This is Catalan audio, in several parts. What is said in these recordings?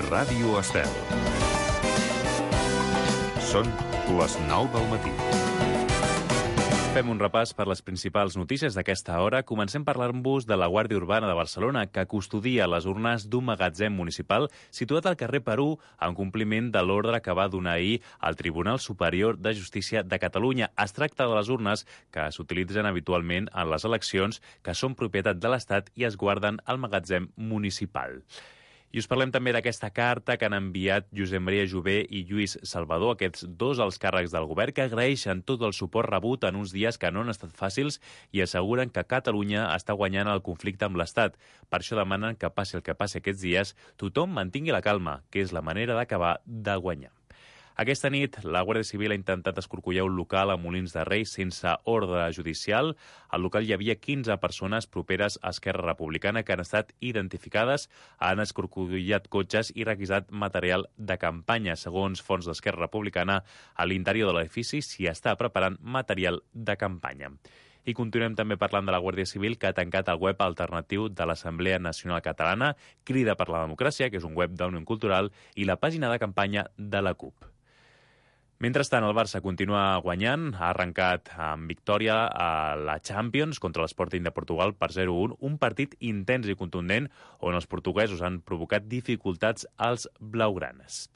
Ràdio Estel. Són les 9 del matí. Fem un repàs per les principals notícies d'aquesta hora. Comencem parlant-vos de la Guàrdia Urbana de Barcelona, que custodia les urnes d'un magatzem municipal situat al carrer Perú en compliment de l'ordre que va donar ahir al Tribunal Superior de Justícia de Catalunya. Es tracta de les urnes que s'utilitzen habitualment en les eleccions, que són propietat de l'Estat i es guarden al magatzem municipal. I us parlem també d'aquesta carta que han enviat Josep Maria Jové i Lluís Salvador, aquests dos alts càrrecs del govern, que agraeixen tot el suport rebut en uns dies que no han estat fàcils i asseguren que Catalunya està guanyant el conflicte amb l'Estat. Per això demanen que passi el que passi aquests dies, tothom mantingui la calma, que és la manera d'acabar de guanyar. Aquesta nit, la Guàrdia Civil ha intentat escorcollar un local a Molins de Rei sense ordre judicial. Al local hi havia 15 persones properes a Esquerra Republicana que han estat identificades, han escorcollat cotxes i requisat material de campanya. Segons fonts d'Esquerra Republicana, a l'interior de l'edifici s'hi està preparant material de campanya. I continuem també parlant de la Guàrdia Civil, que ha tancat el web alternatiu de l'Assemblea Nacional Catalana, Crida per la Democràcia, que és un web d'Òmnium Cultural, i la pàgina de campanya de la CUP. Mentrestant, el Barça continua guanyant. Ha arrencat amb victòria a la Champions contra l'Sporting de Portugal per 0-1, un partit intens i contundent on els portuguesos han provocat dificultats als blaugranes.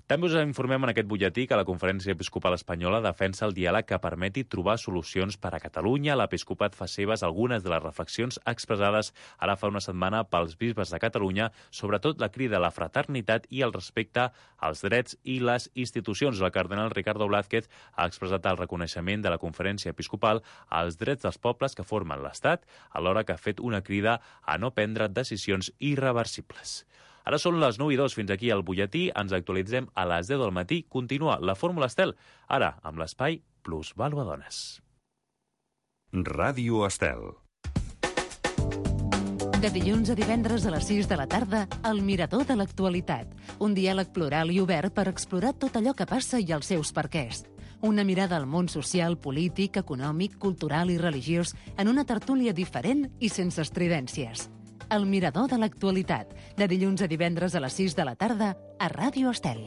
També us informem en aquest butlletí que la Conferència Episcopal Espanyola defensa el diàleg que permeti trobar solucions per a Catalunya. L'Episcopat fa seves algunes de les reflexions expressades ara fa una setmana pels bisbes de Catalunya, sobretot la crida a la fraternitat i el respecte als drets i les institucions. El cardenal Ricardo Blázquez ha expressat el reconeixement de la Conferència Episcopal als drets dels pobles que formen l'Estat, alhora que ha fet una crida a no prendre decisions irreversibles. Ara són les 9:02, fins aquí el butlletí. Ens actualitzem a les 10 del matí. Continua la Fórmula Estel, ara amb l'espai Plusvàlua Dones. Ràdio Estel. De dilluns a divendres a les 6 de la tarda, El Mirador de l'Actualitat. Un diàleg plural i obert per explorar tot allò que passa i els seus perquès. Una mirada al món social, polític, econòmic, cultural i religiós en una tertúlia diferent i sense estridències. El Mirador de l'Actualitat, de dilluns a divendres a les 6 de la tarda, a Ràdio Estel.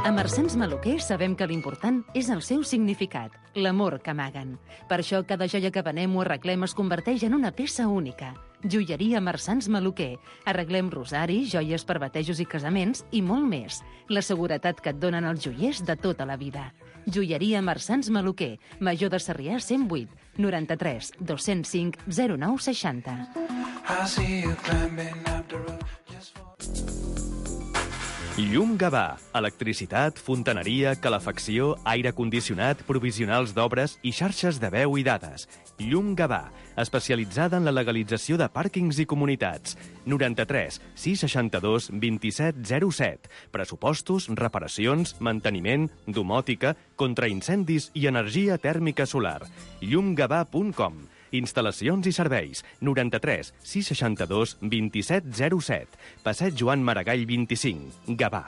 A Marsans Maluquer sabem que l'important és el seu significat, l'amor que amaguen. Per això cada joia que venem o arreglem es converteix en una peça única. Joieria Marsans Maluquer. Arreglem rosaris, joies per batejos i casaments i molt més. La seguretat que et donen els joiers de tota la vida. Joieria Marsans Maluquer, Major de Sarrià 108, 93 205 0960. Llum Gavà. Electricitat, fontaneria, calefacció, aire condicionat, provisionals d'obres i xarxes de veu i dades. Llum Gavà, especialitzada en la legalització de pàrquings i comunitats. 93 662 2707. Pressupostos, reparacions, manteniment, domòtica, contraincendis i energia tèrmica solar. llumgavà.com. Instal·lacions i serveis. 93 662 2707. Passeig Joan Maragall 25. Gavà.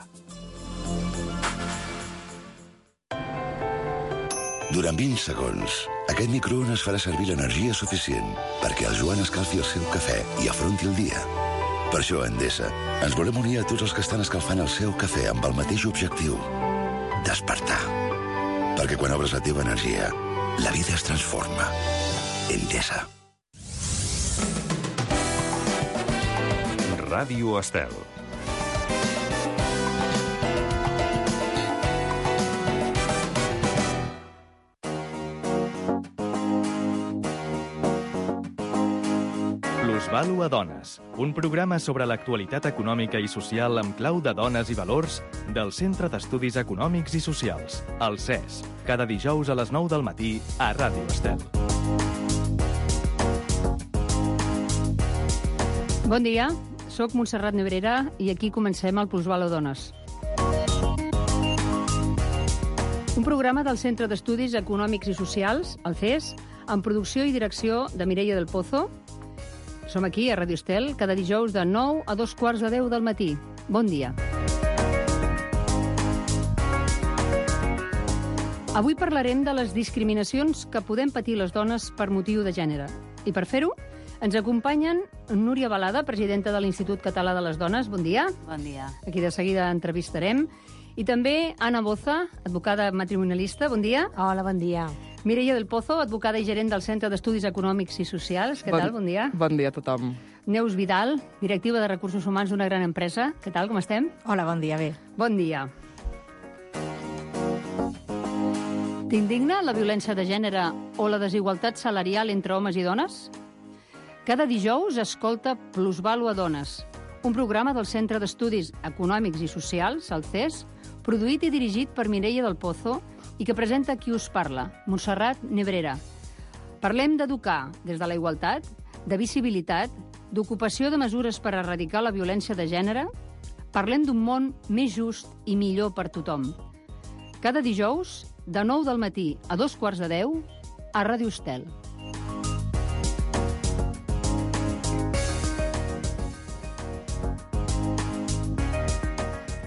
Durant 20 segons, aquest microones farà servir l'energia suficient perquè el Joan escalfi el seu cafè i afronti el dia. Per això, a Endesa, ens volem unir a tots els que estan escalfant el seu cafè amb el mateix objectiu: despertar. Perquè quan obres la teva energia, la vida es transforma. Endesa. Ràdio Estel. Plusvàlua Dones, un programa sobre l'actualitat econòmica i social amb clau de dones i valors del Centre d'Estudis Econòmics i Socials, el CES, cada dijous a les 9 del matí a Ràdio Estel. Bon dia, sóc Montserrat Nebrera i aquí comencem el Plusvàlua Dones. Un programa del Centre d'Estudis Econòmics i Socials, el CES, amb producció i direcció de Mireia del Pozo. Som aquí a Ràdio Estel cada dijous de 9 a 2:15 del matí. Bon dia. Avui parlarem de les discriminacions que podem patir les dones per motiu de gènere. I per fer-ho, Ens acompanyen Núria Balada, presidenta de l'Institut Català de les Dones. Bon dia. Bon dia. Aquí de seguida entrevistarem. I també Anna Boza, advocada matrimonialista. Bon dia. Hola, bon dia. Mireia del Pozo, advocada i gerent del Centre d'Estudis Econòmics i Socials. Què tal? Bon dia. Bon dia a tothom. Neus Vidal, directiva de Recursos Humans d'una gran empresa. Què tal? Com estem? Hola, bon dia, bé. Bon dia. T'indigna la violència de gènere o la desigualtat salarial entre homes i dones? Cada dijous escolta Plusvàlua Dones, un programa del Centre d'Estudis Econòmics i Socials, el CES, produït i dirigit per Mireia del Pozo i que presenta qui us parla, Montserrat Nebrera. Parlem d'educar des de la igualtat, de visibilitat, d'ocupació de mesures per erradicar la violència de gènere. Parlem d'un món més just i millor per tothom. Cada dijous, de 9 del matí a 9:15, a Ràdio Estel.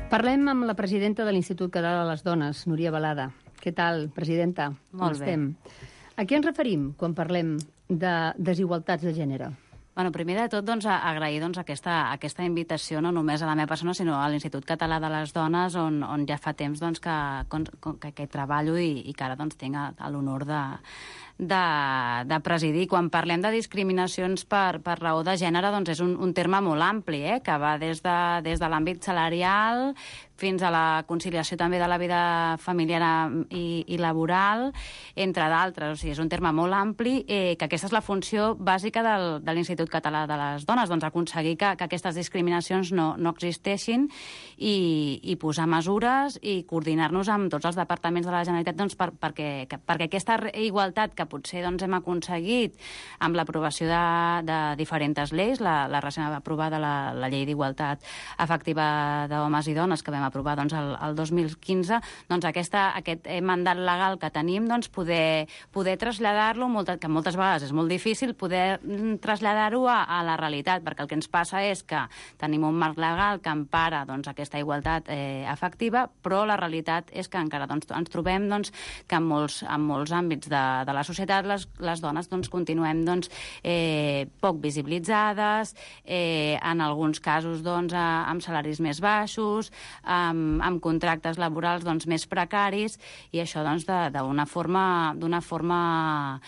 Parlem amb la presidenta de l'Institut Català de les Dones, Núria Balada. Què tal, presidenta? Molt bé. A què ens referim quan parlem de desigualtats de gènere? Bueno, primer de tot, agrair aquesta invitació no només a la meva persona, sinó a l'Institut Català de les Dones, on ja fa temps que treballo i que ara tinc l'honor de presidir. Quan parlem de discriminacions per raó de gènere, és un terme molt ampli, que va des de l'àmbit salarial fins a la conciliació també de la vida familiar i laboral, entre d'altres. O sigui, és un terme molt ampli, que aquesta és la funció bàsica de l'Institut Català de les Dones, aconseguir que aquestes discriminacions no existeixin i posar mesures i coordinar-nos amb tots els departaments de la Generalitat perquè aquesta igualtat que potser hem aconseguit amb l'aprovació de diferents lleis, la recent aprovada la Llei d'Igualtat Efectiva d'Homes i Dones, que vam aprovar el 2015, aquest mandat legal que tenim, poder traslladar-lo, que moltes vegades és molt difícil poder traslladar-ho a la realitat, perquè el que ens passa és que tenim un marc legal que empara aquesta igualtat efectiva, però la realitat és que encara ens trobem que en molts àmbits de la societat les dones continuem poc visibilitzades, en alguns casos amb salaris més baixos, amb contractes laborals més precaris, i això d'una forma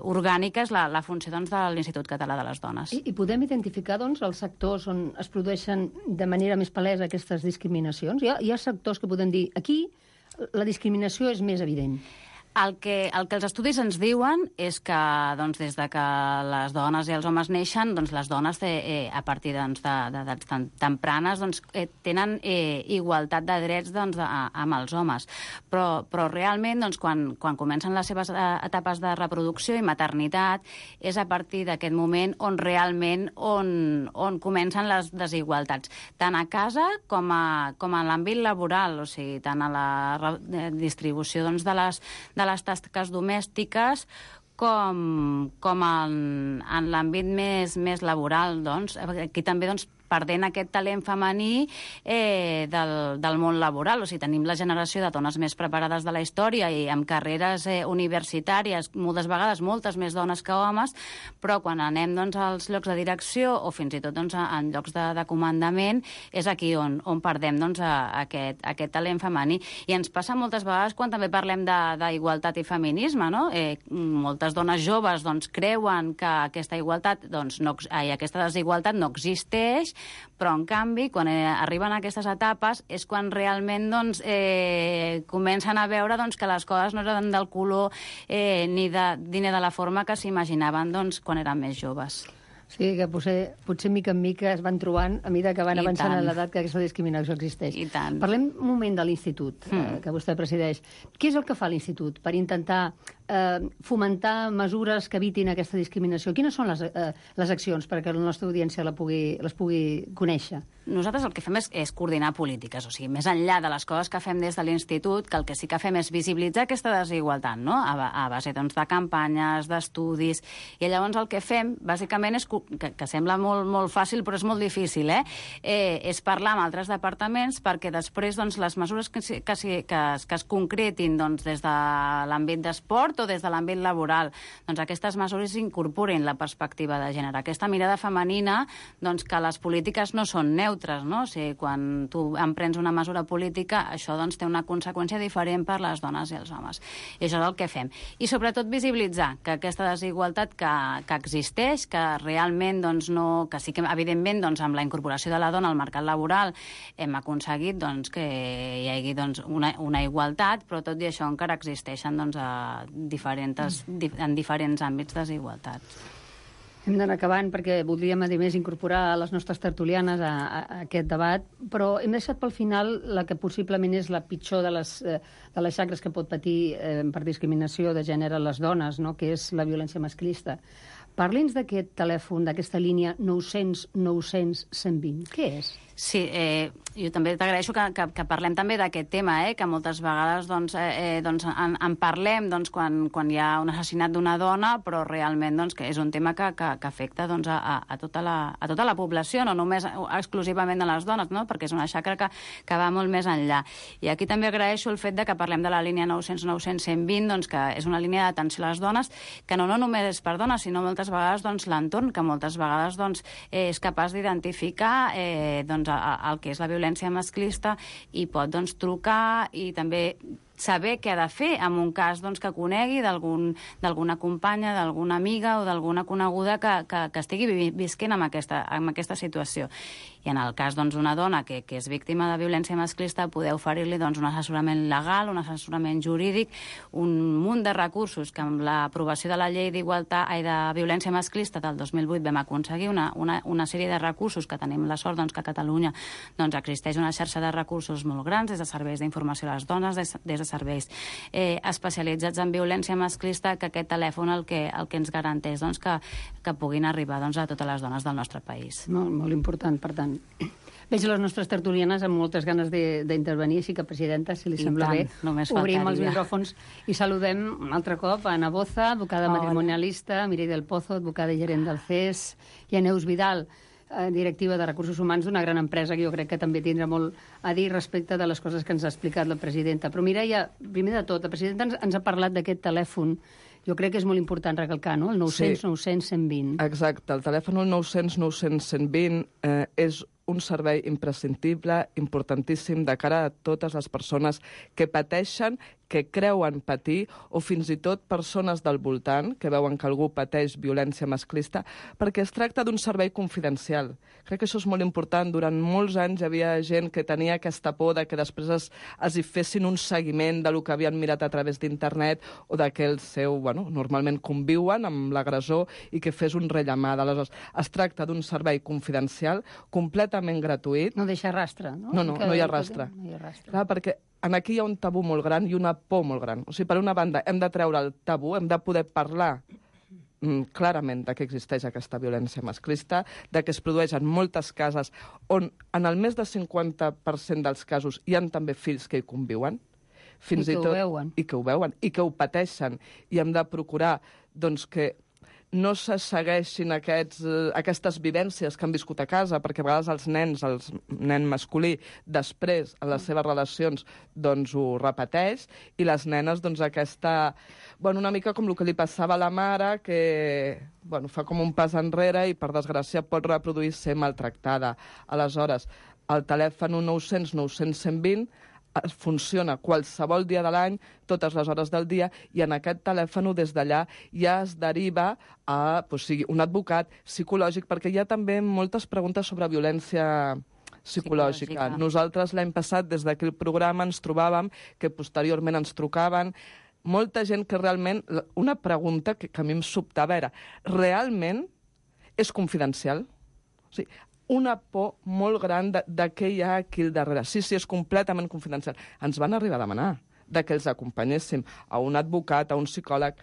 orgànica és la funció de l'Institut Català de les Dones. I podem identificar els sectors on es produeixen de manera més palesa aquestes discriminacions? Hi ha sectors que podem dir aquí la discriminació és més evident. El que els estudis ens diuen és que des de que les dones i els homes neixen, les dones a partir d'edats tempranes tenen igualtat de drets amb els homes. Però realment quan comencen les seves etapes de reproducció i maternitat és a partir d'aquest moment on realment on comencen les desigualtats, tant a casa com a l'àmbit laboral, o sigui, tant a la distribució de les tasques domèstiques com en l'àmbit més laboral. Aquí també perdent aquest talent femení del món laboral. O sigui, tenim la generació de dones més preparades de la història i amb carreres universitàries, moltes vegades moltes més dones que homes, però quan anem als llocs de direcció o fins i tot en llocs de comandament, és aquí on perdem aquest talent femení. I ens passa moltes vegades quan també parlem d'igualtat i feminisme, no? Moltes dones joves creuen que aquesta desigualtat no existeix, però en canvi quan arriben a aquestes etapes és quan realment comencen a veure que les coses no eren del color ni de la forma que s'imaginaven quan eren més joves. Sí, que potser mica en mica es van trobant a mesura que van avançant en l'edat que aquesta discriminació existeix. I tant. Parlem un moment de l'Institut, que vostè presideix. Què és el que fa l'Institut per intentar fomentar mesures que evitin aquesta discriminació? Quines són les accions perquè la nostra audiència les pugui conèixer? Nosaltres el que fem és coordinar polítiques, o sigui, més enllà de les coses que fem des de l'Institut, que el que sí que fem és visibilitzar aquesta desigualtat, no? A base de campanyes, d'estudis, i llavors el que fem, bàsicament, és que sembla molt fàcil, però és molt difícil, és parlar amb altres departaments perquè després doncs, les mesures que es concretin doncs, des de l'àmbit d'esport o des de l'àmbit laboral, doncs aquestes mesures incorporin la perspectiva de gènere. Aquesta mirada femenina, doncs, que les polítiques no són neutres, no? O sigui, quan tu emprens una mesura política, això doncs, té una conseqüència diferent per les dones i els homes. I això és el que fem. I sobretot visibilitzar que aquesta desigualtat que existeix, que realment doncs, no, que sí que evidentment doncs, amb la incorporació de la dona al mercat laboral hem aconseguit doncs, que hi hagi doncs, una igualtat, però tot i això encara existeixen doncs, en diferents àmbits desigualtats. Hem d'anar acabant perquè voldríem, a més, incorporar les nostres tertulianes a aquest debat, però hem deixat pel final la que possiblement és la pitjor de les xacres que pot patir per discriminació de gènere les dones, no? Que és la violència masclista. Parli'ns d'aquest telèfon, d'aquesta línia 900 900 120. Què és? Sí, jo també t'agraeixo que parlem també d'aquest tema, que moltes vegades doncs, en parlem doncs, quan hi ha un assassinat d'una dona, però realment doncs, que és un tema que afecta doncs, a tota la població, no només exclusivament a les dones, no? Perquè és una xacra que va molt més enllà. I aquí també agraeixo el fet de que parlem de la línia 900 900 120, doncs, que és una línia d'atenció a les dones, que no només és per dones, sinó moltes vegades doncs, l'entorn, que moltes vegades doncs, és capaç d'identificar doncs, el que és la violència masclista i pot doncs, trucar i també saber què ha de fer en un cas doncs, que conegui d'alguna companya, d'alguna amiga o d'alguna coneguda que estigui visquent amb aquesta situació. I en el cas d'una dona que és víctima de violència masclista, poder oferir-li un assessorament legal, un assessorament jurídic, un munt de recursos que amb l'aprovació de la llei de violència masclista del 2008 vam aconseguir una sèrie de recursos que tenim la sort que a Catalunya existeix una xarxa de recursos molt grans, des de serveis d'informació a les dones, des de serveis especialitzats en violència masclista, que aquest telèfon el que ens garanteix que puguin arribar a totes les dones del nostre país. Molt important, per tant. Veig les nostres tertulianes amb moltes ganes d'intervenir, així que, presidenta, si li sembla bé, obrim els micròfons i saludem un altre cop a Ana Boza, advocada matrimonialista, Mireia del Pozo, advocada i gerent del CES, i a Neus Vidal, directiva de Recursos Humans d'una gran empresa que jo crec que també tindrà molt a dir respecte de les coses que ens ha explicat la presidenta. Però Mireia, primer de tot, la presidenta ens ha parlat d'aquest telèfon. Jo crec que és molt important recalcar, no? El 900 900 120. Exacte, el telèfon 900 900 120 és un servei imprescindible, importantíssim de cara a totes les persones que pateixen, que creuen patir, o fins i tot persones del voltant que veuen que algú pateix violència masclista, perquè es tracta d'un servei confidencial. Crec que això és molt important. Durant molts anys hi havia gent que tenia aquesta por de que després es hi fessin un seguiment del que havien mirat a través d'internet o de que el seu, normalment conviuen amb l'agressor i que fes un rellamada. Aleshores, es tracta d'un servei confidencial, completament gratuït. No deixa rastre, no? No hi ha rastre. Clar, perquè aquí hi ha un tabú molt gran i una por molt gran. O sigui, per una banda, hem de treure el tabú, hem de poder parlar clarament de que existeix aquesta violència masclista, de que es produeixen moltes cases on en el més de 50% dels casos hi ha també fills que hi conviuen, fins i tot, i que ho veuen, i que ho pateixen, i hem de procurar que no se segueixin aquestes vivències que han viscut a casa, perquè a vegades els nens, el nen masculí, després, a les seves relacions, ho repeteix, i les nenes, una mica com el que li passava a la mare, que fa com un pas enrere i, per desgràcia, pot reproduir ser maltractada. Aleshores, el telèfon 900 900 120 funciona qualsevol dia de l'any, totes les hores del dia, i en aquest telèfon des d'allà ja es deriva a un advocat psicològic, perquè hi ha també moltes preguntes sobre violència psicològica. Nosaltres l'any passat, des d'aquell programa, ens trobàvem que posteriorment ens trucaven molta gent que realment... Una pregunta que a mi em sobtava era: realment és confidencial? O sigui, una por molt gran de què hi ha aquí al darrere. Sí, és completament confidencial. Ens van arribar a demanar que els acompanyéssim a un advocat, a un psicòleg.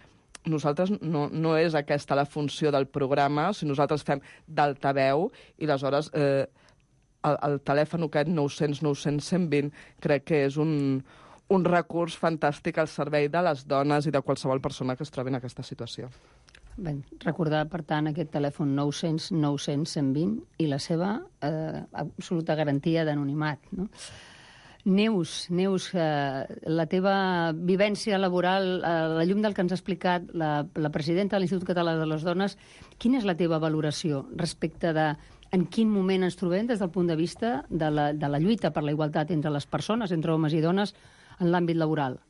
Nosaltres no és aquesta la funció del programa, si nosaltres fem d'altaveu, i aleshores el telèfon aquest 900 900 120 crec que és un recurs fantàstic al servei de les dones i de qualsevol persona que es trobi en aquesta situació. Ben, recordar, per tant, aquest telèfon 900 900 120 i la seva absoluta garantia d'anonimat, no? Neus, la teva vivència laboral, a la llum del que ens ha explicat la presidenta de l'Institut Català de les Dones, quina és la teva valoració respecte de en quin moment ens trobem des del punt de vista de la lluita per la igualtat entre les persones, entre homes i dones, en l'àmbit laboral?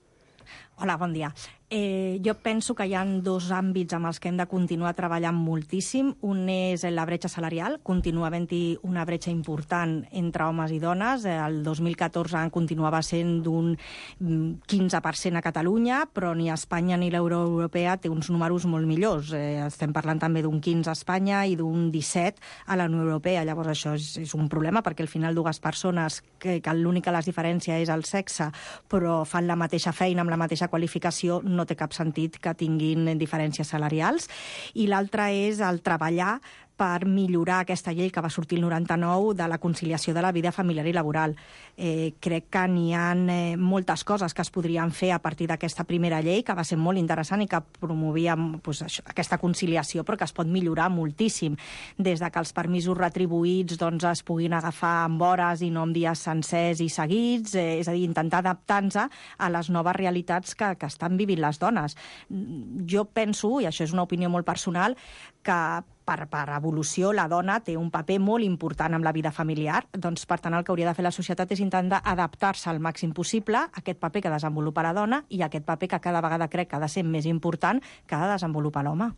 Hola, bon dia. Jo penso que hi ha dos àmbits amb els que hem de continuar treballant moltíssim. Un és la bretxa salarial. Continua havent-hi una bretxa important entre homes i dones. El 2014 continuava sent d'un 15% a Catalunya, però ni Espanya ni l'Unió Europea té uns números molt millors. Estem parlant també d'un 15 a Espanya i d'un 17 a la Unió Europea. Llavors això és un problema, perquè al final dues persones que l'única les diferència és el sexe, però fan la mateixa feina amb la mateixa qualificació, no té cap sentit que tinguin diferències salarials. I l'altre és el treballar per millorar aquesta llei que va sortir el 99 de la conciliació de la vida familiar i laboral. Crec que n'hi ha moltes coses que es podrien fer a partir d'aquesta primera llei, que va ser molt interessant i que promovia aquesta conciliació, però que es pot millorar moltíssim, des de que els permisos retribuïts es puguin agafar amb hores i no amb dies sencers i seguits, és a dir, intentar adaptar-nos a les noves realitats que estan vivint les dones. Jo penso, i això és una opinió molt personal, que per evolució la dona té un paper molt important en la vida familiar, doncs per tant el que hauria de fer la societat és intentar adaptar-se al màxim possible a aquest paper que desenvolupa la dona i a aquest paper que cada vegada crec que ha de ser més important que ha de desenvolupar l'home.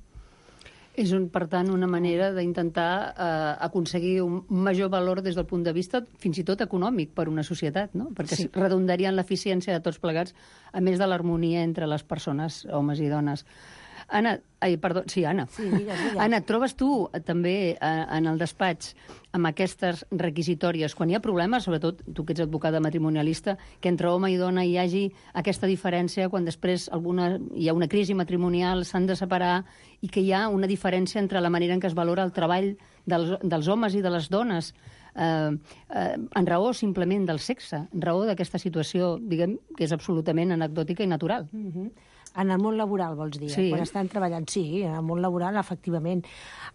És, per tant, una manera d'intentar aconseguir un major valor des del punt de vista fins i tot econòmic per una societat, no? Perquè redundaria en l'eficiència de tots plegats, a més de l'harmonia entre les persones, homes i dones. Anna, Anna. Sí, digues. Anna, trobes tu també en el despatx amb aquestes requisitòries, quan hi ha problemes, sobretot tu que ets advocada matrimonialista, que entre home i dona hi hagi aquesta diferència quan després hi ha una crisi matrimonial, s'han de separar i que hi ha una diferència entre la manera en què es valora el treball dels homes i de les dones en raó simplement del sexe, en raó d'aquesta situació, diguem, que és absolutament anecdòtica i natural. En el món laboral, vols dir? Sí. Quan estan treballant, sí, en el món laboral, efectivament.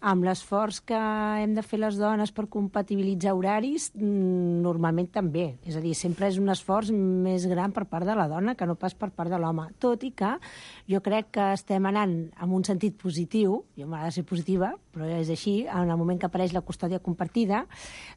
Amb l'esforç que hem de fer les dones per compatibilitzar horaris, normalment també. És a dir, sempre és un esforç més gran per part de la dona que no pas per part de l'home. Tot i que jo crec que estem anant en un sentit positiu, jo m'agrada ser positiva, però és així, en el moment que apareix la custòdia compartida,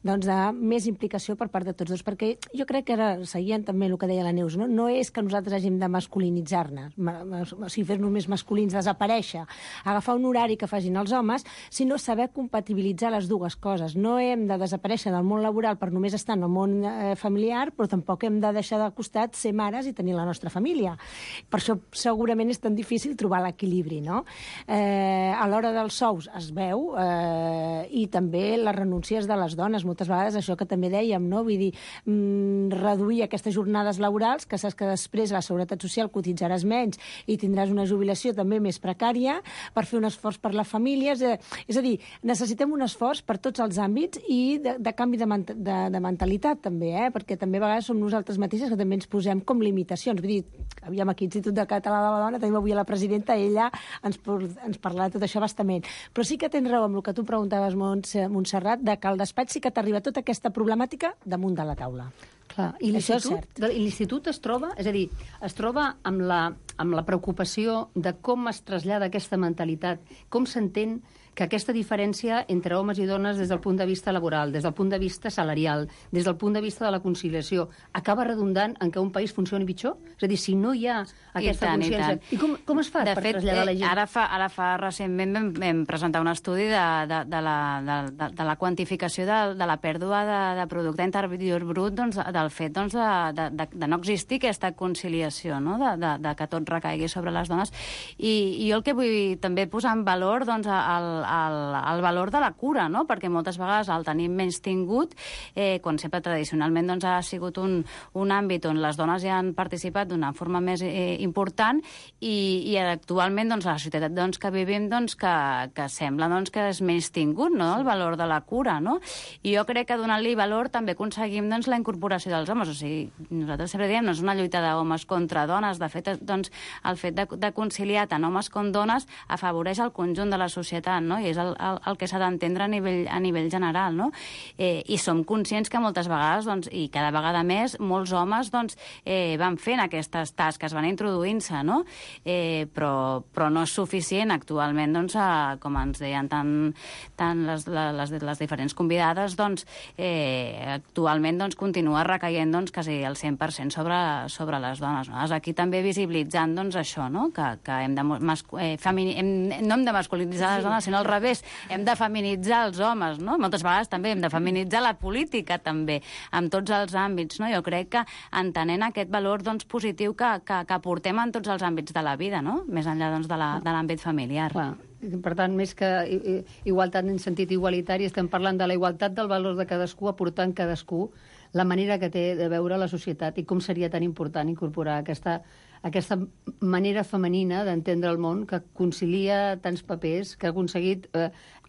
doncs de més implicació per part de tots dos. Perquè jo crec que ara, seguint també el que deia la Neus, no és que nosaltres hàgim de masculinitzar-ne, o sigui, fer-nos més masculins, desaparèixer, agafar un horari que facin els homes, sinó saber compatibilitzar les dues coses. No hem de desaparèixer del món laboral per només estar en el món familiar, però tampoc hem de deixar de costat ser mares i tenir la nostra família. Per això segurament és tan difícil trobar l'equilibri, no? A l'hora dels sous es veu, i també les renúncies de les dones, moltes vegades això que també dèiem, no? Vull dir, reduir aquestes jornades laborals, que saps que després a la Seguretat Social cotitzaràs menys i tindràs una jubilació també més precària per fer un esforç per les famílies. És a dir, necessitem un esforç per tots els àmbits i de canvi de mentalitat també, perquè també a vegades som nosaltres mateixes que també ens posem com limitacions. Vull dir, aviam, aquí l'Institut Català de la Dona, tenim avui a la presidenta, ella ens parlarà de tot això bastament. Però sí que tens raó amb el que tu preguntaves, Montserrat, de que al despatx sí que t'arriba tota aquesta problemàtica damunt de la taula. Clar, i l'Institut es troba, és a dir, es troba amb la preocupació de com es trasllada aquesta mentalitat, com s'entén que aquesta diferència entre homes i dones des del punt de vista laboral, des del punt de vista salarial, des del punt de vista de la conciliació, acaba redundant en que un país funcioni pitjor? És a dir, si no hi ha aquesta consciència... I com es fa per traslladar la gent? Ara fa recentment vam presentar un estudi de la quantificació de la pèrdua de producte interior brut, del fet de no existir aquesta conciliació, no? de que tot recaigui sobre les dones. I jo el que vull també posar en valor el valor de la cura, no? Perquè moltes vegades el tenim menys tingut, quan sempre tradicionalment ha sigut un àmbit on les dones ja han participat d'una forma més important i actualment a la societat que vivim que sembla que és menys tingut, no? El valor de la cura, no? I jo crec que donant-li valor també aconseguim la incorporació emancipació dels homes. O sigui, nosaltres sempre diem, no és una lluita d'homes contra dones. De fet, doncs, el fet de conciliar tant homes com dones afavoreix el conjunt de la societat, no? I és el que s'ha d'entendre a nivell general, no? I som conscients que moltes vegades, doncs, i cada vegada més, molts homes doncs, van fent aquestes tasques, van introduint-se, no? Però no és suficient actualment, doncs, com ens deien tant les diferents convidades, doncs, actualment doncs, continua recaient doncs, quasi el 100% sobre les dones. No? Aquí també visibilitzant doncs, això, no? Que hem de no hem de masculinitzar les dones, sinó al revés, hem de feminitzar els homes, no? Moltes vegades també hem de feminitzar la política, també, en tots els àmbits, no? Jo crec que entenent aquest valor doncs, positiu que portem en tots els àmbits de la vida, no? Més enllà doncs, de l'àmbit familiar. Clar. Per tant, més que igualtat en sentit igualitari, estem parlant de la igualtat del valor de cadascú, aportant cadascú la manera que té de veure la societat i com seria tan important incorporar aquesta manera femenina d'entendre el món que concilia tants papers, que ha aconseguit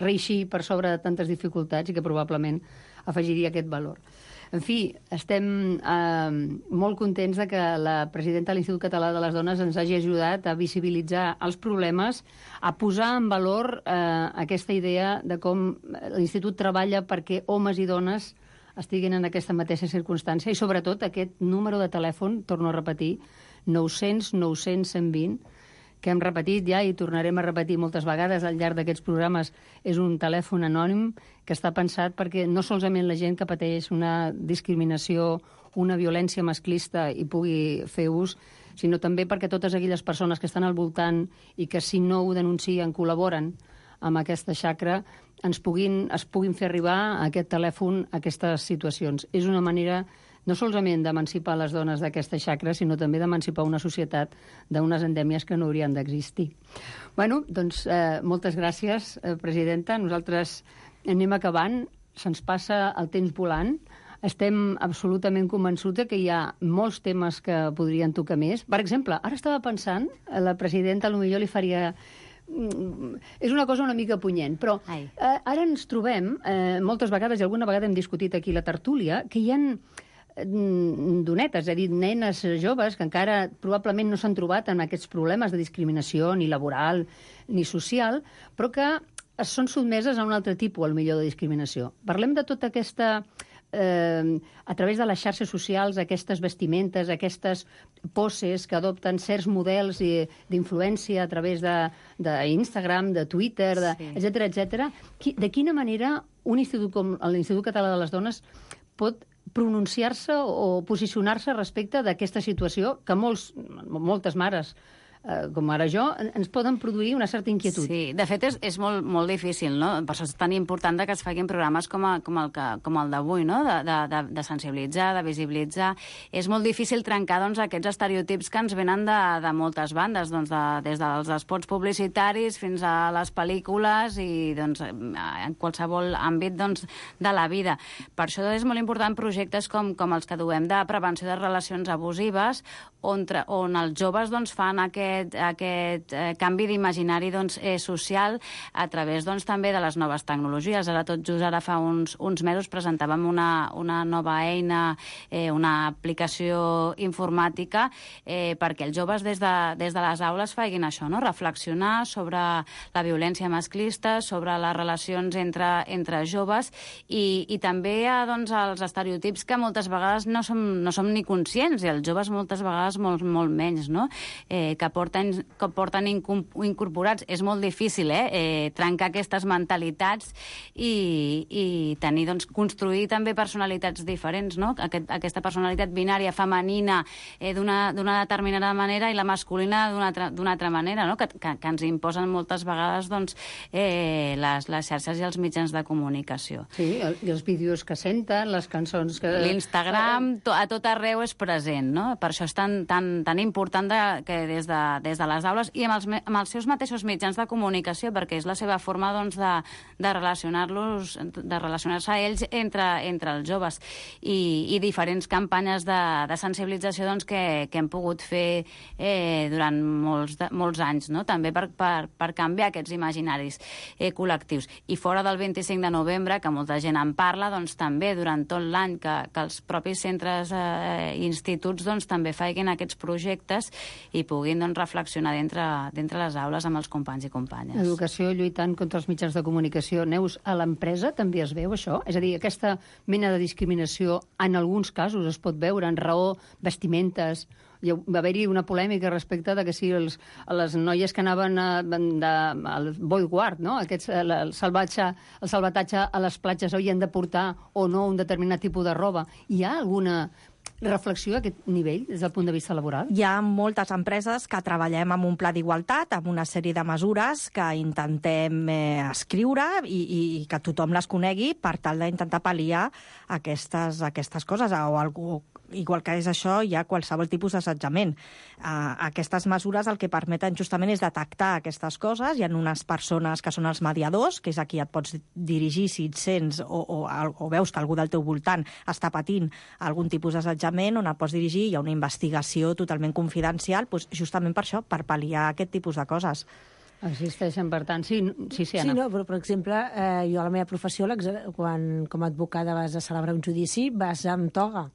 reeixir per sobre de tantes dificultats i que probablement afegiria aquest valor. En fi, estem molt contents de que la presidenta de l'Institut Català de les Dones ens hagi ajudat a visibilitzar els problemes, a posar en valor aquesta idea de com l'Institut treballa perquè homes i dones estiguin en aquesta mateixa circumstància i, sobretot, aquest número de telèfon, torno a repetir, 900 900 120, que hem repetit ja i tornarem a repetir moltes vegades al llarg d'aquests programes, és un telèfon anònim que està pensat perquè no solament la gent que pateix una discriminació, una violència masclista i pugui fer ús, sinó també perquè totes aquelles persones que estan al voltant i que si no ho denuncien, col·laboren amb aquesta xacra, es puguin fer arribar a aquest telèfon a aquestes situacions. És una manera no solament d'emancipar les dones d'aquesta xacra, sinó també d'emancipar una societat d'unes endèmies que no haurien d'existir. Bueno, doncs, moltes gràcies, presidenta. Nosaltres anem acabant, se'ns passa el temps volant. Estem absolutament convençuts que hi ha molts temes que podrien tocar més. Per exemple, ara estava pensant, la presidenta potser li faria... És una cosa una mica punyent, però ara ens trobem, moltes vegades, i alguna vegada hem discutit aquí la tertúlia, que hi ha donetes, és a dir, nenes joves que encara probablement no s'han trobat en aquests problemes de discriminació ni laboral ni social, però que són sotmeses a un altre tipus, potser, de discriminació. Parlem de tota aquesta... a través de les xarxes socials, aquestes vestimentes, aquestes poses que adopten certs models d'influència a través d'Instagram, de Twitter, etc. De quina manera un institut com l'Institut Català de les Dones pot pronunciar-se o posicionar-se respecte d'aquesta situació que moltes mares com ara jo, ens poden produir una certa inquietud. Sí, de fet és molt difícil, no? Per això és tan important que es facin programes com el d'avui, no? De sensibilitzar, de visibilitzar. És molt difícil trencar doncs, aquests estereotips que ens venen de moltes bandes, doncs, des dels espots publicitaris fins a les pel·lícules i doncs, en qualsevol àmbit doncs, de la vida. Per això és molt important projectes com els que duem de prevenció de relacions abusives, on els joves doncs, fan aquest canvi d'imaginari doncs, social a través doncs, també de les noves tecnologies. Tot just ara fa uns mesos presentàvem una nova eina, una aplicació informàtica perquè els joves des de les aules facin això, no? Reflexionar sobre la violència masclista, sobre les relacions entre joves i també doncs, els estereotips que moltes vegades no som ni conscients i els joves moltes vegades molt menys, no? Que porten incorporats. És molt difícil trencar aquestes mentalitats i tenir, doncs, construir també personalitats diferents, no? Aquesta personalitat binària femenina d'una determinada manera i la masculina d'una altra manera, no? Que ens imposen moltes vegades doncs, les xarxes i els mitjans de comunicació. Sí, i els vídeos que senten, les cançons que... L'Instagram a tot arreu és present, no? Per això és tan important que des de des de les aules i amb els seus mateixos mitjans de comunicació, perquè és la seva forma doncs, de relacionar-se a ells entre els joves. I diferents campanyes de sensibilització doncs, que hem pogut fer durant molts anys, no? També per canviar aquests imaginaris col·lectius. I fora del 25 de novembre, que molta gent en parla, doncs també durant tot l'any que els propis centres i instituts doncs, també facin aquests projectes i puguin doncs, reflexionar dintre les aules amb els companys i companyes. Educació lluitant contra els mitjans de comunicació. Neus, a l'empresa també es veu això? És a dir, aquesta mena de discriminació en alguns casos es pot veure en raó vestimentes. Va haver-hi una polèmica respecte de que si les noies que anaven al bodyguard, no? El salvatatge a les platges havien de portar o no un determinat tipus de roba. Hi ha alguna reflexió a aquest nivell des del punt de vista laboral? Hi ha moltes empreses que treballem amb un pla d'igualtat, amb una sèrie de mesures que intentem escriure i que tothom les conegui per tal d'intentar pal·liar aquestes coses o algú. Igual que és això, hi ha qualsevol tipus d'assetjament. Aquestes mesures el que permeten justament és detectar aquestes coses. Hi ha unes persones que són els mediadors, que és a qui et pots dirigir si et sents o veus que algú del teu voltant està patint algun tipus d'assetjament, on et pots dirigir. Hi ha una investigació totalment confidencial, doncs justament per això, per pal·liar aquest tipus de coses. Existeixen, per tant. Sí, Anna. Sí, no, però, per exemple, jo a la meva professió, quan com a advocada vas a celebrar un judici, vas amb toga.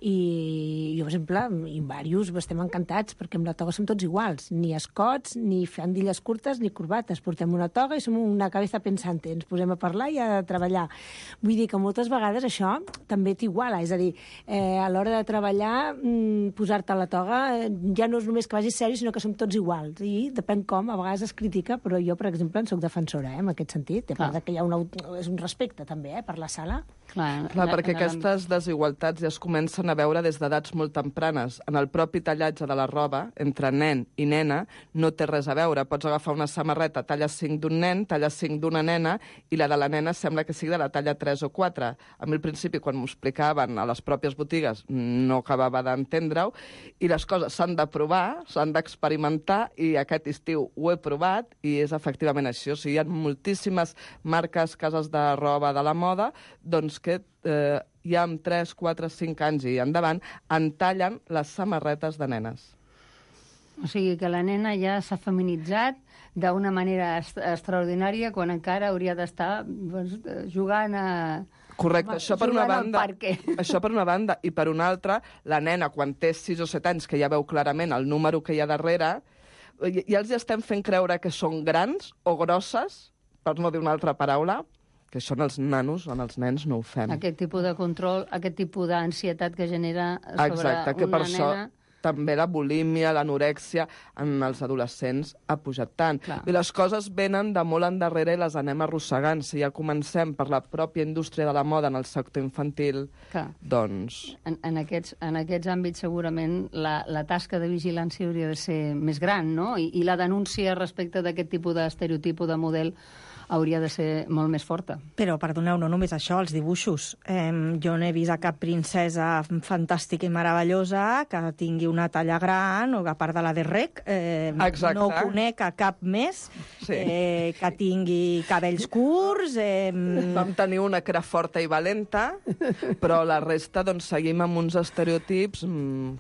I jo, per exemple, i diversos estem encantats, perquè amb la toga som tots iguals. Ni escots, ni faldilles curtes, ni corbates. Portem una toga i som una cabeza pensante. Ens posem a parlar i a treballar. Vull dir que moltes vegades això també t'iguala. És a dir, a l'hora de treballar, posar-te la toga ja no és només que vagis seri, sinó que som tots iguals. I depèn com, a vegades es critica, però jo, per exemple, en soc defensora, en aquest sentit. A part que hi ha és un respecte, també, per la sala. Clar, perquè aquestes desigualtats ja es comencen a veure des d'edats molt tempranes. En el propi tallatge de la roba, entre nen i nena, no té res a veure. Pots agafar una samarreta talla 5 d'un nen, talla 5 d'una nena, i la de la nena sembla que sigui de la talla 3 o 4. A mi, al principi, quan m'ho explicaven a les pròpies botigues, no acabava d'entendre-ho, i les coses s'han de provar, s'han d'experimentar, i aquest estiu ho he provat, i és efectivament això. O sigui, hi ha moltíssimes marques, cases de roba de la moda, doncs que ja amb 3, 4, 5 anys i endavant entallen les samarretes de nenes. O sigui que la nena ja s'ha feminitzat d'una manera extraordinària quan encara hauria d'estar jugant a... Correcte, això per una banda. Això per una banda. I per una altra, la nena, quan té 6 o 7 anys, que ja veu clarament el número que hi ha darrere, ja els estem fent creure que són grans o grosses, per no dir una altra paraula, que això en els nanos o en els nens no ho fem. Aquest tipus de control, aquest tipus d'ansietat que genera sobre exacte, que una per nena... Això també la bulímia, l'anorèxia en els adolescents ha pujat tant. Clar. I les coses venen de molt endarrere i les anem arrossegant. Si ja comencem per la pròpia indústria de la moda en el sector infantil, clar, doncs... En aquests àmbits segurament la tasca de vigilància hauria de ser més gran, no? I la denúncia respecte d'aquest tipus d'estereotip o de model hauria de ser molt més forta. Però, perdoneu, no només això, els dibuixos. Jo no he vist a cap princesa fantàstica i meravellosa que tingui una talla gran, o a part de la de Rec, no conec a cap més que tingui cabells curts. Vam tenir una que era forta i valenta, però la resta doncs, seguim amb uns estereotips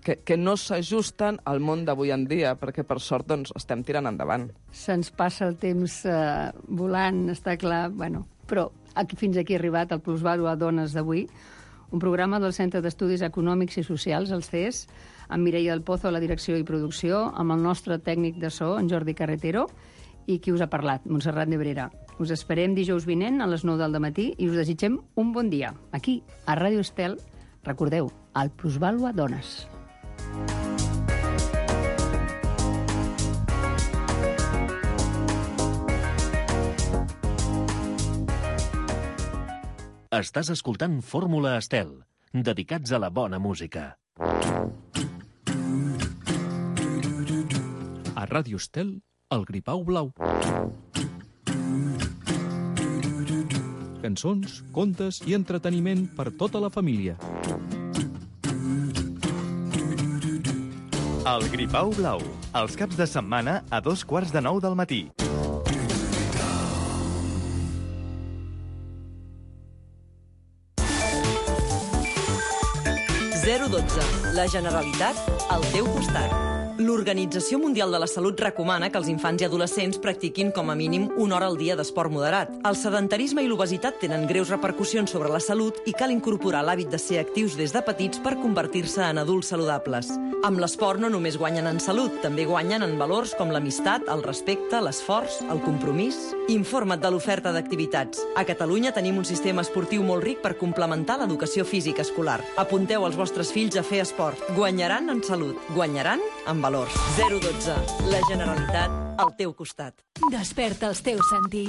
que no s'ajusten al món d'avui en dia, perquè per sort doncs, estem tirant endavant. Se'ns passa el temps volant, està clar, bueno, però fins aquí ha arribat el Plusvàlua Dones d'avui, un programa del Centre d'Estudis Econòmics i Socials, el CES, amb Mireia del Pozo a la direcció i producció, amb el nostre tècnic de so, en Jordi Carretero, i qui us ha parlat, Montserrat Nebrera. Us esperem dijous vinent a les 9 del matí i us desitgem un bon dia. Aquí, a Ràdio Estel, recordeu, el Plusvàlua Dones. Estàs escoltant Fórmula Estel, dedicats a la bona música. A Ràdio Estel, el Gripau Blau. Cançons, contes i entreteniment per tota la família. El Gripau Blau, els caps de setmana a 8:45 del matí. La Generalitat al teu costat. L'Organització Mundial de la Salut recomana que els infants i adolescents practiquin com a mínim 1 hora al dia d'esport moderat. El sedentarisme i l'obesitat tenen greus repercussions sobre la salut i cal incorporar l'hàbit de ser actius des de petits per convertir-se en adults saludables. Amb l'esport no només guanyen en salut, també guanyen en valors com l'amistat, el respecte, l'esforç, el compromís. Informa't de l'oferta d'activitats. A Catalunya tenim un sistema esportiu molt ric per complementar l'educació física escolar. Apunteu els vostres fills a fer esport. Guanyaran en salut, guanyaran en valors. 012. La Generalitat al teu costat. Desperta els teus sentits.